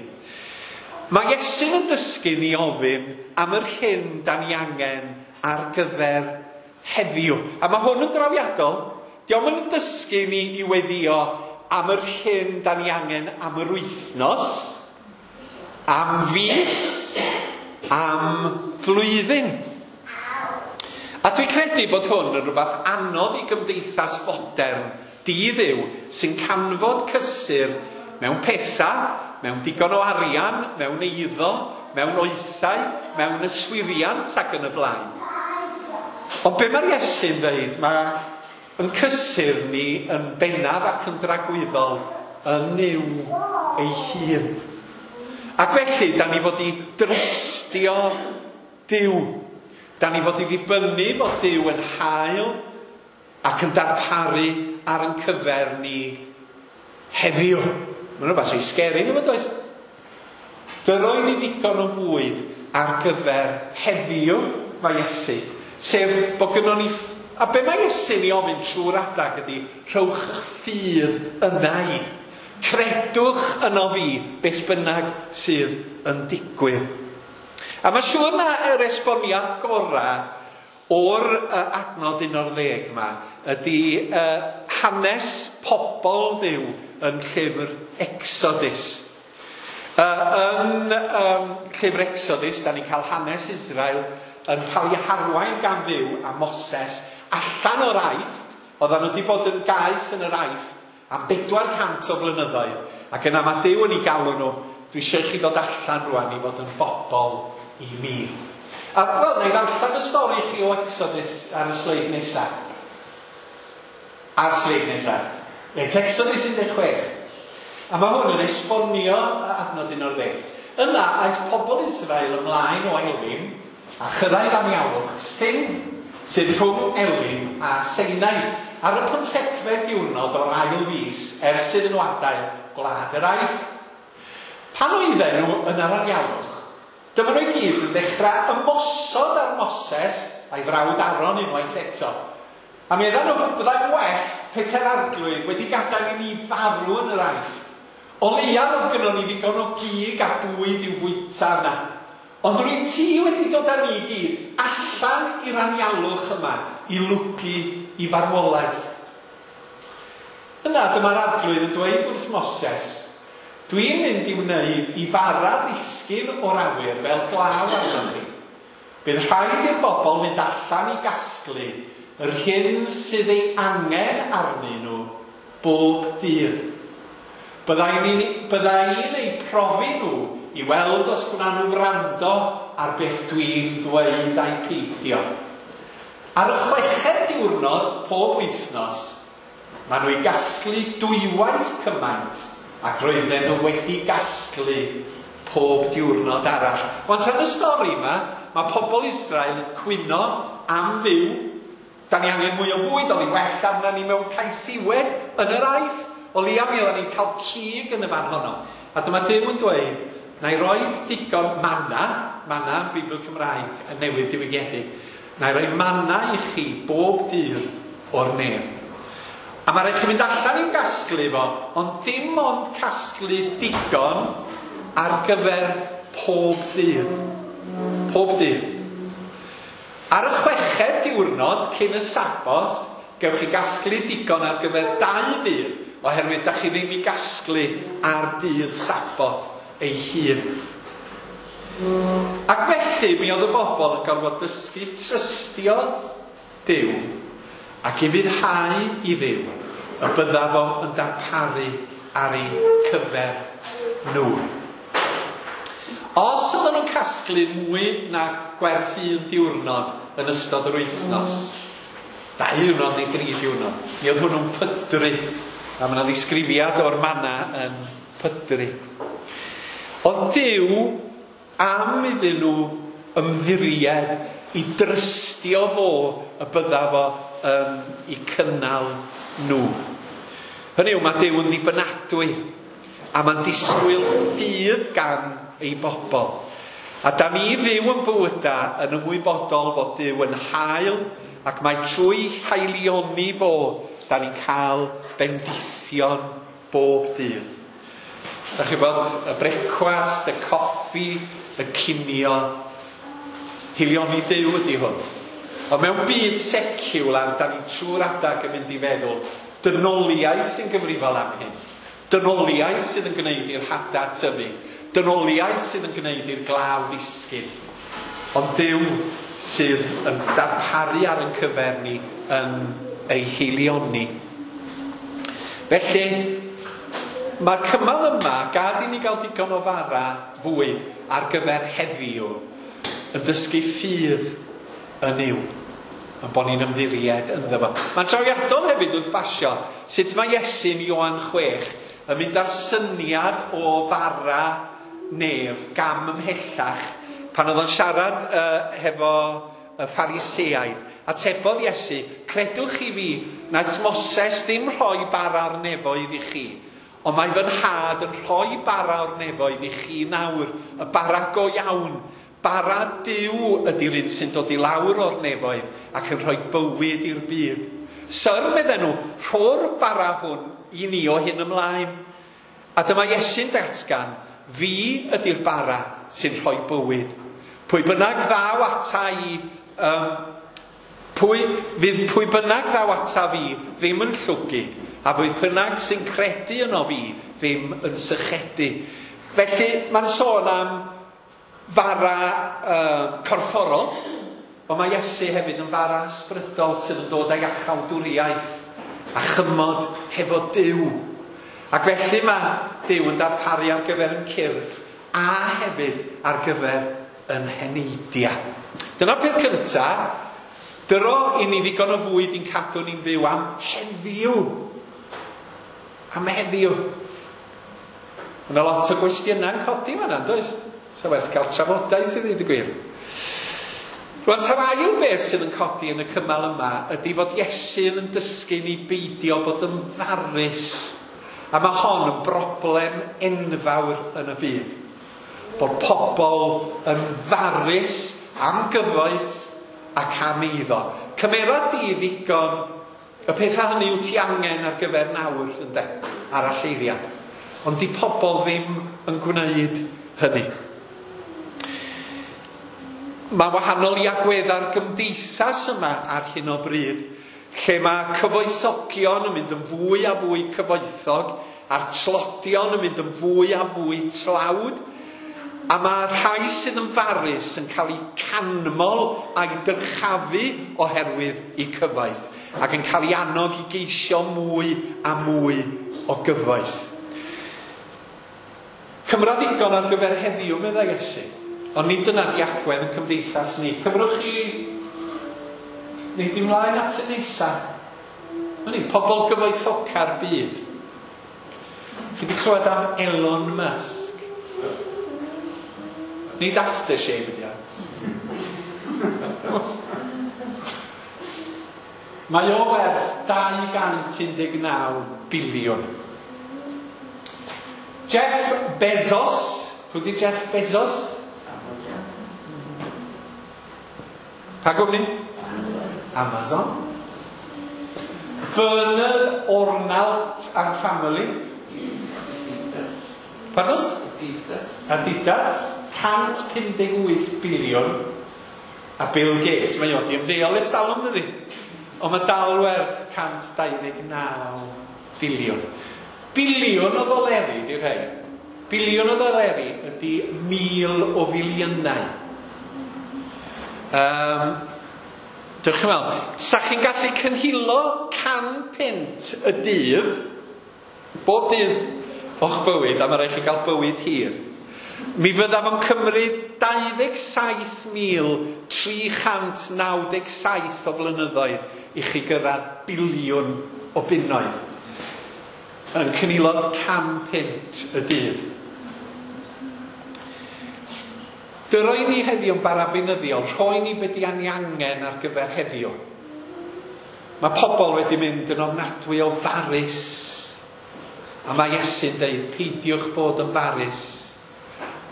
Mae Iesu'n yn dysgu ni ofyn am yr hyn da ni angen ar gyfer heddiw. A mae hwn yn drawiadol. Dio'm yn dysgu ni i weddio am yr hyn da ni angen am yr wythnos, am fis, am flwyddyn. A dwi'n credu bod hwn yn rhywbeth anodd i gymdeithas fodern di-Dduw sy'n canfod cysur mewn pethau, mewn digon o arian, mewn eiddo, mewn oethau, mewn yswiriant ac yn y blaen. Ond be mae'r Iesu'n dweud, mae yn cysur ni yn bennaf ac yn dragwyddol yn Nuw ei hun. Ac felly, da ni fod i drystio Duw. Da ni fod i ddibynnu fod Duw yn hael ac yn darparu ar yn cyfer ni heddiw. Mae'n rhywbeth rhy scary, nhw does? Dyroi ni ddigon o fwyd ar gyfer heddiw, mae Iesu. Sef bod gynnon ni... A be mae Iesu'n ei ofyn trwy'r adag ydy, rhowch eich ffydd yna i. Credwch yno fi, beth bynnag sydd yn digwydd. A mae siŵr na yr esboniad gorau o'r uh, adnod un o'r ddeg yma ydy uh, hanes pobl Dduw yn llyfr Exodus. Uh, yn um, llyfr Exodus, da ni'n cael hanes Israel yn cael ei harwain gan Dduw a Moses allan o'r Aifft. Oedden nhw wedi bod yn gaeth yn yr Aifft am bedwar cant o flynyddoedd. Ac yna mae Duw yn ei galw nhw, dwi eisiau chi ddod allan rwan i fod yn bobl i mi. A wel, na i ddarllen y stori i chi o Exodus ar y sleid nesaf. Ar sleid nesaf. Reit, Exodus un deg chwech. A mae hwn yn esbonio adnod un o'r ddeg. Yna aeth pobl Israel ymlaen o Elim a chyrraedd anialwch Sin, sydd rhwng Elim a Sinai, ar y pymthegfed diwrnod o'r ail fis ers iddyn nhw adael gwlad yr Aifft. Pan oedden nhw yn yr anialwch, dyma nhw i gyd yn dechrau ymosod ar Moses a'i frawd Aaron unwaith eto. A meddwn nhw, byddai'n well petai'r Arglwydd wedi gadael i ni farw yn yr Aifft. O leia oedd gynnon ni ddigon o gig a bwyd i'w fwyta yna. Ond rwyt ti wedi dod â ni i gyd allan i'r anialwch yma i lwgu i farwolaeth. Yna dyma'r Arglwydd yn dweud wrth Moses, dwi'n mynd i wneud i fara ddisgyn o'r awyr fel glaw arnoch chi. Bydd rhaid i'r bobl fynd allan i gasglu yr hyn sydd ei angen arnyn nhw bob dydd. Byddai'n eu profi nhw i weld os gwna nhw wrando ar beth dwi'n ddweud a'i peidio. Ar y chweched diwrnod pob wythnos, maen nhw i gasglu dwywaith cymaint ac roedden nhw wedi gasglu pob diwrnod arall. Wan tan y stori yma, mae pobl Israel yn cwyno am Dduw. Da ni angen mwy o fwyd, oedd hi well arna ni mewn caesiwed yn yr Aifft. O leia mi oedden ni'n cael cig yn y fan honno. A dyma Duw yn dweud, na i roed digon manna, manna yn Beibl Cymraeg yn newydd diwygiedig, na i roi manna i chi bob dydd o'r nef. A mae rhaid chi fynd allan i'w gasglu fo, ond dim ond casglu digon ar gyfer pob dydd. Pob dydd. Ar y chweched diwrnod cyn y Saboth, gewch chi gasglu digon ar gyfer dau ddydd, oherwydd da chi ddim i gasglu ar dydd Saboth ei hun. Ac felly mi oedd y bobl yn gorfod dysgu trystio Duw ac i fuddhau i Dduw y bydda fo yn darparu ar eu cyfer nhw. Os oedden nhw'n casglu mwy na gwerth un diwrnod yn ystod yr wythnos, dau diwrnod neu dri diwrnod, mi oedd hwnnw'n pydru. A mae yna ddisgrifiad o'r manna yn pydru. Oedd Duw am iddyn nhw ymddiried i drystio fo y bydda fo um, i cynnal nhw. Hynny yw, mae Duw yn ddibynadwy a mae'n disgwyl ffydd gan ei bobl. A da ni fyw yn bywyda yn ymwybodol fod Duw yn hael ac mae trwy haelioni fo da ni'n cael bendithion bob dydd. Da chi bod y brecwast, y coffi, y cinio, haelioni Duw ydy hwn. Ond mewn byd seciwlar, da ni trwy'r adag yn mynd i feddwl, dynoliaeth sy'n gyfrifol am hyn. Dynoliaeth sydd yn gwneud i'r hada tyfu. Dynoliaeth sydd yn gwneud i'r glaw ddisgyn. Ond Duw sydd yn darparu ar ein cyfer ni yn ei haelioni. Felly, mae'r cymal yma, gad i ni gael digon o fara fwyd ar gyfer heddiw, yn dysgu ffydd yn Nuw, yn bod ni'n ymddiried ynddo fo. Mae'n trawiadol hefyd wrth basio sut mae Iesu'n Ioan chwech yn mynd â'r syniad o fara nef gam ymhellach pan oedd o'n siarad uh, hefo y Phariseaid. Atebodd Iesu, credwch chi fi, naeth Moses ddim rhoi bara o'r nefoedd i chi, ond mae fy nhad yn rhoi bara o'r nefoedd i chi nawr, y bara go iawn. Bara Duw ydy'r un sy'n dod i lawr o'r nefoedd ac yn rhoi bywyd i'r byd. Syr, medden nhw, rho'r bara hwn i ni o hyn ymlaen. A dyma Iesu'n datgan, fi ydy'r bara sy'n rhoi bywyd. Pwy bynnag ddaw ata i, um, pwy, fydd pwy bynnag ddaw ata fi ddim yn llwgu, a pwy bynnag sy'n credu yno fi ddim yn sychedu. Felly mae'n sôn am fara uh, corfforol, ond mae Iesu hefyd yn fara ysbrydol sydd yn dod â iachawdwriaeth a chymod hefo Duw. Ac felly mae Duw yn darparu ar gyfer yn cyrff a hefyd ar gyfer yn heneidiau. Dyna'r peth cyntaf, dyro i ni ddigon o fwyd i'n cadw ni'n fyw am heddiw. Am heddiw. Mae yna lot o gwestiynau'n codi fan'na, does? Sa werth cael trafodaeth i ddweud y gwir. Rwan, ta'r ail beth sydd yn codi yn y cymal yma ydy fod Iesu yn dysgu ni beidio bod yn farus. A mae hon yn broblem enfawr yn y byd. Bod pobl yn farus am gyfoeth ac am eiddo. Cymera di ddigon y peth hynny wyt ti angen ar gyfer nawr, ynde, aralleiriad. Ond di pobl ddim yn gwneud hynny. Mae wahanol i agwedda'r gymdeithas yma ar hyn o bryd, lle mae cyfoethogion yn mynd yn fwy a fwy cyfoethog, a'r tlodion yn mynd yn fwy a fwy tlawd, a mae rhai sydd yn farus yn cael eu canmol a'i dyrchafu oherwydd eu cyfoeth, ac yn cael eu annog i geisio mwy a mwy o gyfoeth. Cymra ddigon ar gyfer heddiw, meddai Iesu. Ond nid dyna di agwedd yn cymdeithas ni. Cymrwch chi wneud ymlaen at y nesaf. Ni, pobl gyfoethoca'r byd. Chi wedi clywed am Elon Musk? Nid aftershave ydi o. Mae o werth dau gant un deg naw biliwn. Jeff Bezos. Pwy di Jeff Bezos? Pa gwmni? Amazon. Bernard Arnault and Family. Pardon? Adidas. Adidas. cant pum deg wyth biliwn. A Bill Gates, mae o di ymddeol ers talwm, dydi? Ond mae dal werth cant dau ddeg naw biliwn. Biliwn o ddoleri, di rhai. Biliwn o ddoleri ydy mil o filiynau. Um, Dewch chi'n meddwl, sa chi'n gallu cynhilo can punt y dydd, bob dydd o'ch bywyd, a mae rhaid chi gael bywyd hir, mi fyddaf yn cymryd dau ddeg saith mil tri chant naw deg saith o flynyddoedd i chi gyrraedd biliwn o bunnoedd. Yn cynilo can punt y dydd. Dyroi ni heddiw yn bara beunyddiol, rhoi ni be di ni angen ar gyfer heddiw. Mae pobl wedi mynd yn ofnadwy o farus. A mae Iesu'n deud, peidiwch bod yn farus.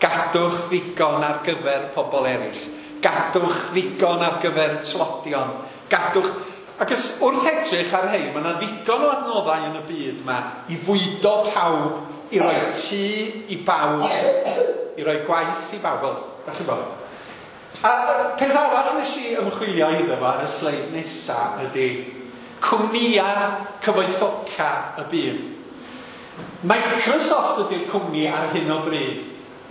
Gadwch ddigon ar gyfer pobl eraill. Gadwch ddigon ar gyfer tlodion. Gadwch... Ac wrth edrych ar hyn, mae yna ddigon o adnoddau yn y byd yma i fwydo pawb, i roi tŷ i bawb, i roi gwaith i bawb. Wel, da chi'n bod. A peth arall nes i ymchwilio iddo fo ar y sleid nesaf ydy cwmnïau cyfoethoca y byd. Microsoft ydy'r cwmni ar hyn o bryd,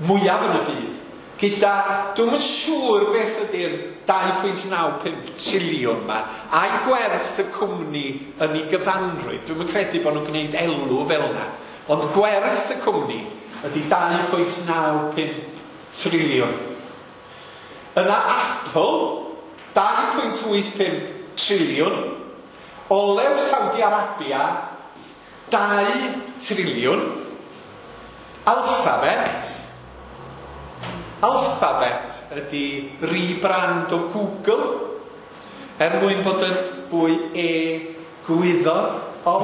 mwyaf yn y byd, gyda, dwi'm yn siŵr beth ydy'r dau pwynt naw pump triliwn yma, a'i gwerth y cwmni yn ei gyfanrwydd. Dwi'm yn credu bod nhw'n gwneud elw fel yna, ond gwerth y cwmni ydy dau pwynt naw pump triliwn. Yna Apple, dau pwynt wyth pump triliwn. Olew Saudi Arabia, dau triliwn. Alphabet, Alphabet ydy rebrand o Google, er mwyn bod yn fwy e-gwyddor o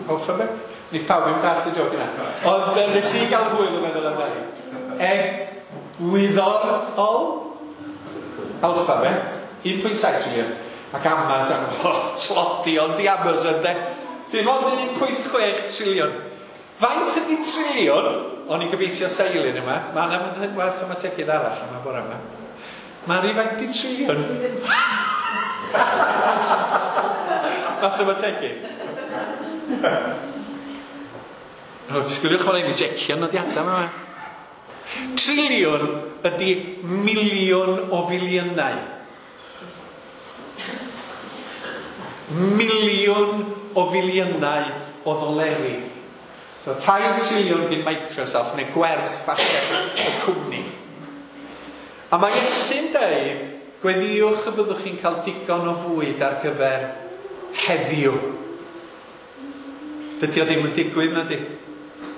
Alphabet. Nid pawb yn dallt y joc yna. Ond nes i gael hwyl yn meddwl amdani. E-gwyddor o Alphabet, un pwynt saith triliwn. Ac Amazon, oh, tlodi ond di Amazon de. Dim ond un pwynt chwech triliwn. Faint ydy triliwn? O'n i'n gobeithio seilyn yma. Mae yna mathemategydd arall yma bore yma. Mari, faint ydy triliwn? Mathemategydd. O, disgwyliwch mae'n ei jecio nodiadau yma. Triliwn ydy miliwn o filiynau. Miliwn o filiynau o ddoleri. So tair triliwn gyn Microsoft neu gwerth falle y cwmni. A mae Iesu'n deud, gweddïwch y byddwch chi'n cael digon o fwyd ar gyfer heddiw. Dydy o ddim yn digwydd, na di?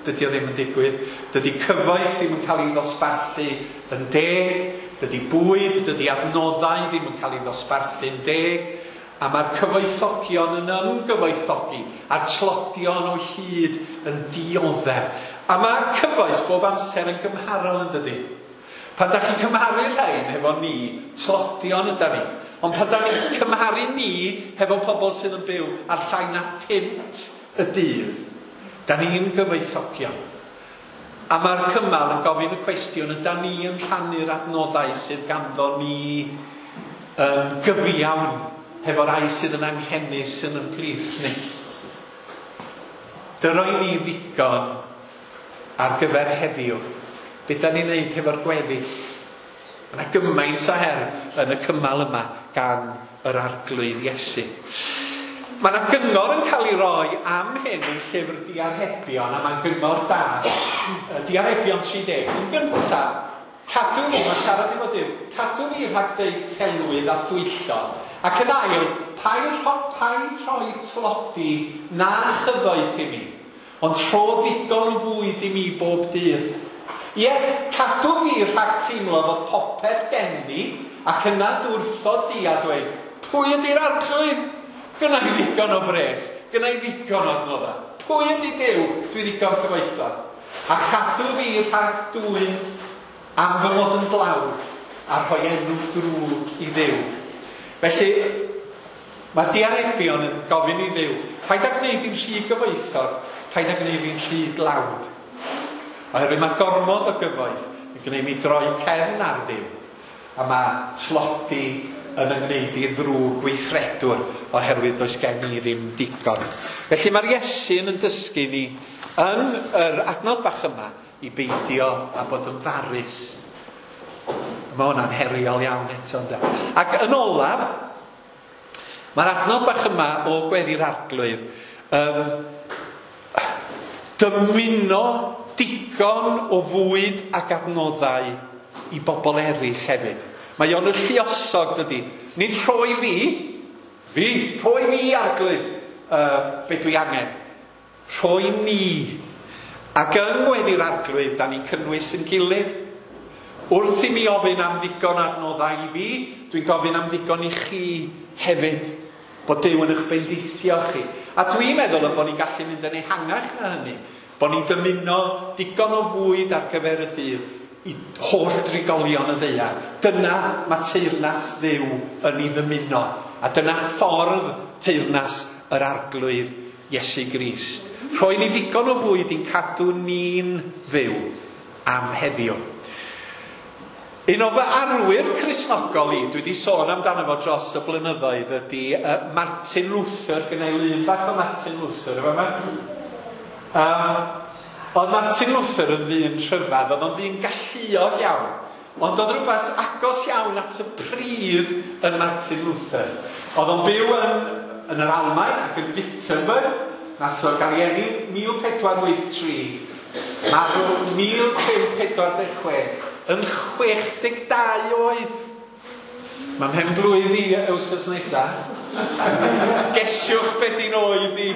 Dydy o ddim yn digwydd. Dydy cyfoeth ddim yn cael ei ddosbarthu yn deg. Dydy bwyd, dydy adnoddau ddim yn cael ei ddosbarthu'n deg. A mae'r cyfoethogion yn ymgyfoethogi, a'r tlodion o hyd yn dioddef. A mae cyfoeth bob amser yn gymharol yn dydy. Pan da chi'n cymharu'r rhain hefo ni, tlodion yda ni. Ond pan da ni'n cymharu ni hefo pobl sydd yn byw ar llai na punt y dydd, da ni'n gyfoethogion. A mae'r cymal yn gofyn y cwestiwn, yda ni yn rhannu'r adnoddau sydd ganddo ni yn gyfiawn hefo rai sydd yn anghenus yn yn plith ni. Dyroi ni ddigon ar gyfer heddiw. Be da ni'n neud hefo'r gweddill? Mae yna gymaint o her yn y cymal yma gan yr Arglwydd Iesu. Mae yna gyngor yn cael ei roi am hyn yn llyfr Diarhebion, a mae'n gyngor da. Diarhebion tri deg. Yn gyntaf, cadw ni, mae siarad efo Duw, cadw ni rhag deud celwydd a thwyllo. Ac yn ail, paid rhoi tlodi na chyfoeth i mi, ond rho ddigon fwyd i mi bob dydd. Ie, cadw fi rhag teimlo fod popeth gen i, ac yna dwrthod di a dweud, pwy ydy'r Arglwydd? Gynna i ddigon o bres, gynna i ddigon o adnoddau. Pwy ydy Duw? Dwi ddigon cyfoethog. A chadw fi rhag dwyn am fy mod yn dlawd a rhoi enw drwg i Dduw. Felly, mae Diarebion yn gofyn i Dduw, paid â gwneud fi'n rhy gyfoethog, paid â gwneud fi'n rhy dlawd. Oherwydd mae gormod o gyfoeth yn gwneud mi droi cefn ar Dduw. A mae tlodi yn ymwneud i ddrwg gweithredwr oherwydd does gen i ddim digon. Felly mae'r Iesu'n yn dysgu ni yn yr adnod bach yma i beidio a bod yn farus. Mae hwnna'n heriol iawn eto, ynde? Ac yn olaf, mae'r adnod bach yma o Gweddi'r Arglwydd um, dymuno digon o fwyd ac adnoddau i bobl eraill hefyd. Mae o'n y lluosog, dydy. Nid rhoi fi, fi, rhoi fi Arglwydd, uh, be dwi angen. Rhoi ni. Ac yng Ngweddi'r Arglwydd, da ni'n cynnwys yn gilydd. Wrth i mi ofyn am ddigon adnoddau i fi, dwi'n gofyn am ddigon i chi hefyd. Bod Duw yn eich bendithio chi. A dwi'n meddwl y bod ni'n gallu mynd yn ehangach na hynny. Bod ni'n dymuno digon o fwyd ar gyfer y dydd i holl drigolion y ddaear. Dyna mae teyrnas Dduw yn ei ddymuno. A dyna ffordd teyrnas yr Arglwydd Iesu Grist. Rhoi ni ddigon o fwyd i'n cadw ni'n fyw am heddiw. Un o fy arwyr Cristnogol i, dwi wedi sôn amdano fo dros y blynyddoedd, ydy uh, Martin Luther. Gynna i lun bach o Martin Luther efo yma. Um, oedd Martin Luther yn ddyn rhyfedd, oedd o'n ddyn galluog iawn. Ond oedd rhywbeth agos iawn at y pridd yn Martin Luther. Oedd o'n byw yn, yn yr Almaen ac yn Wittenberg. Nath o gael ei eni mil pedwar wyth tri, marw mil pump pedwar deg chwech, yn chwech deg dau oed. Mae'n mhen blwydd i wythnos nesa. Gesiwch be di'n oed i.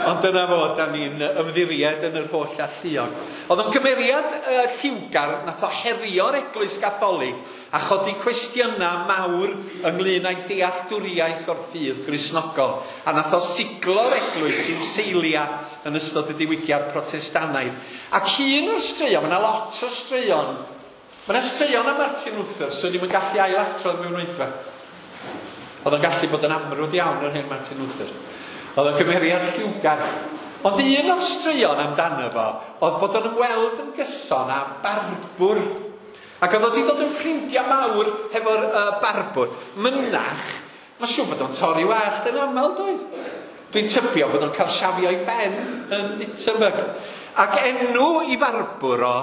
Ond dyna fo, da ni'n ymddiried yn yr holl alluog. Oedd o'n gymeriad uh, lliwgar, nath o herio'r Eglwys Gatholig a chodi cwestiynau mawr ynglyn â'i dealltwriaeth o'r ffydd Gristnogol. A nath o siglo'r Eglwys i'w seiliau yn ystod y diwygiad Protestannaidd. Ac un o'r straeon, mae yna lot o straeon, mae yna straeon am Martin Luther, so ddim yn gallu ailadrodd mewn oedfa. Oedd o'n gallu bod yn amrwd iawn yr hen Martin Luther. Oedd o'n gymeriad lliwgar. Ond un o'r straeon amdano fo oedd bod o'n ymweld yn gyson â barbwr. Ac oedd o wedi dod yn ffrindiau mawr hefo'r uh, barbwr. Mynach, mae'n siŵr bod o'n torri wallt yn aml, doedd? Dwi'n tybio bod o'n cael siafio i ben yn Wittenberg. Ac enw i farbwr o,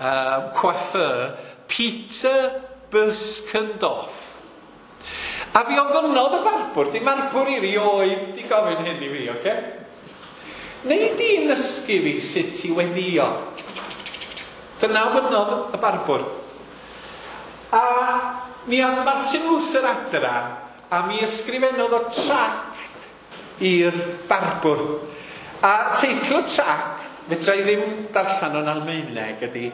uh, coiffeur, Peter Buskendorf. A fi ofynnodd y barbwr, di marbwr i rioed di gofyn hyn i fi, oce? Okay? Neu di'n nysgu fi sut i weddio? Dyna ofynnodd y barbwr. A mi ath Martin Luther adra, a mi ysgrifennodd o tract i'r barbwr. A teitl y tract, fedra i ddim darllen o'n Almaeneg, ydy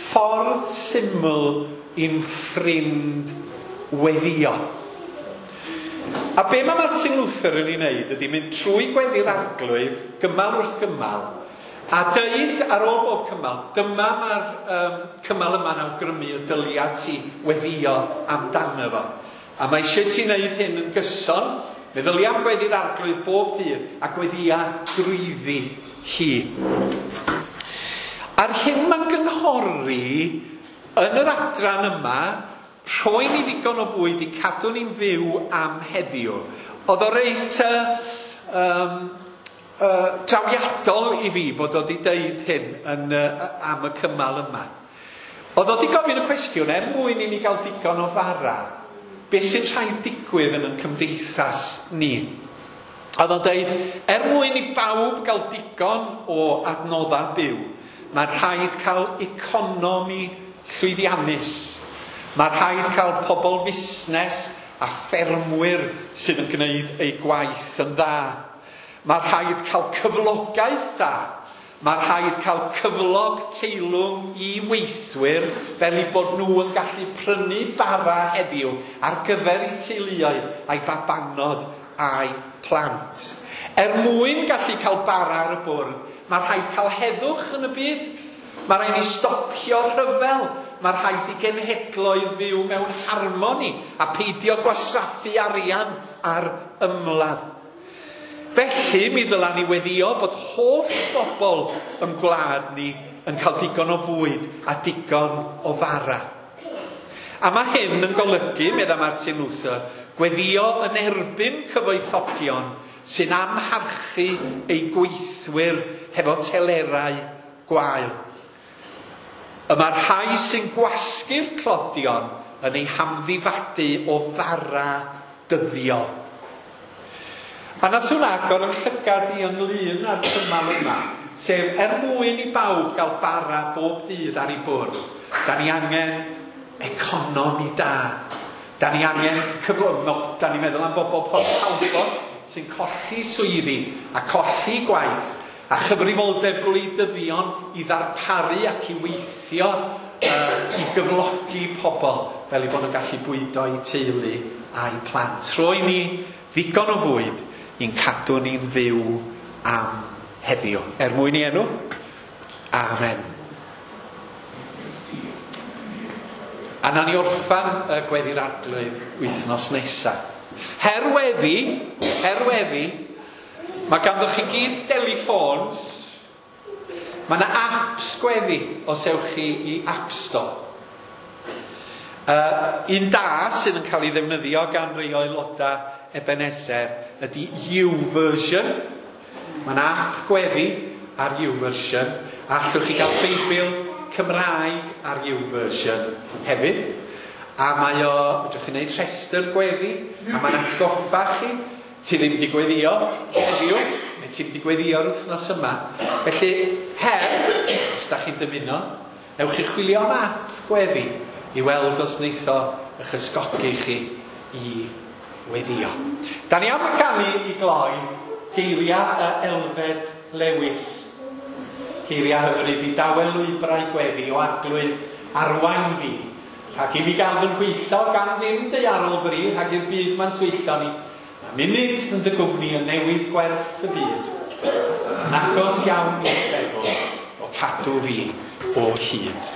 Ffordd Syml i'n Ffrind Weddio. A be mae Martin Luther yn ei wneud ydy mynd trwy gweddi'r Arglwydd, gymal wrth gymal, a deud ar ôl bob cymal, dyma mae'r um, cymal yma'n awgrymu y dylia ti weddio amdano fo. A mae eisiau ti wneud hyn yn gyson, meddylia am gweddi'r Arglwydd bob dydd, a gweddia drwyddi hi. A'r hyn mae'n gynghori yn yr adran yma, rhoi ni ddigon o fwyd i cadw ni'n fyw am heddiw. Oedd o reit uh, um, uh, trawiadol i fi bod o wedi deud hyn yn, uh, am y cymal yma. Oedd o wedi gofyn y cwestiwn, er mwyn i ni gael digon o fara, beth sy'n rhaid digwydd yn ein cymdeithas ni? Oedd o'n deud, er mwyn i bawb gael digon o adnoddau byw, mae'n rhaid cael economi llwyddiannus. Mae rhaid cael pobl fusnes a ffermwyr sydd yn gwneud eu gwaith yn dda. Mae rhaid cael cyflogaeth dda. Mae rhaid cael cyflog teilwng i weithwyr fel eu bod nhw yn gallu prynu bara heddiw ar gyfer eu teuluoedd a'i babanod a'i plant. Er mwyn gallu cael bara ar y bwrdd, mae rhaid cael heddwch yn y byd. Mae rhaid ni stopio rhyfel. Mae rhaid i genhedloedd fyw mewn harmoni a peidio gwastraffu arian ar ymladd. Felly, mi ddyla ni weddio bod holl bobl yn gwlad ni yn cael digon o fwyd a digon o fara. A mae hyn yn golygu, medda Martin Luther, gweddio yn erbyn cyfoethogion sy'n amharchu eu gweithwyr hefo telerau gwael. Y mae'r rhai sy'n gwasgu'r tlodion yn eu hamddifadu o fara dyddiol. A nath hwnna agor yn llygad i ynglyn â'r cymal yma, sef er mwyn i bawb gael bara bob dydd ar ei bwrdd, da ni angen economi da. Da ni angen cyflog, no, da ni'n meddwl am bobl Port Talbot sy'n colli swyddi a colli gwaith, a chyfrifoldeb gwleidyddion i ddarparu ac i weithio uh, i gyflogi pobl fel eu bod nhw'n gallu bwydo eu teulu a'u plant. Rhoi ni ddigon o fwyd i'n cadw ni'n fyw am heddiw. Er mwyn i enw, amen. A nawn ni orffan y gweddi'r Arglwydd wythnos nesaf. Her weddi, her weddi, mae ganddo chi gyd teleffons. Mae yna apps gweddi os ewch chi i App Store. Uh, un da sydd yn cael ei ddefnyddio gan rai o aelodau Ebenezer ydy YouVersion. Mae'n app gweddi ar YouVersion. A allwch chi gael Beibl Cymraeg ar YouVersion hefyd. A mae o, fedrwch chi wneud rhestr gweddi, a mae'n atgoffa chi, ti ddim wedi gweddio heddiw, neu ti ddim wedi gweddio'r wythnos yma. Felly, her, os da chi'n dymuno, ewch chi chwilio am app gweddi i weld os wneith o eich ysgogi chi i weddio. Da ni am ganu i gloi geiriau y Elfed Lewis. Geiriau hyfryd i dawel lwybrau gweddi o arglwydd arwain fi. Rhag i mi gael fy nhwyllo gan ddim daearol fri, rhag i'r byd ma'n twyllo ni. Mae munud yn dy gwmni yn newid gwerth y byd. Yn agos iawn i'r feddwl o cadw fi o hyd.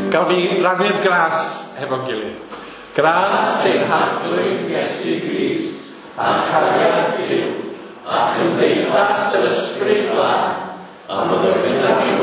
Gawn ni rannu'r gras hefo'n gilydd. Gras ein Harglwydd Iesu Grist, a chariad Duw, a chymdeithas yr Ysbryd Glân, a fod gyda ni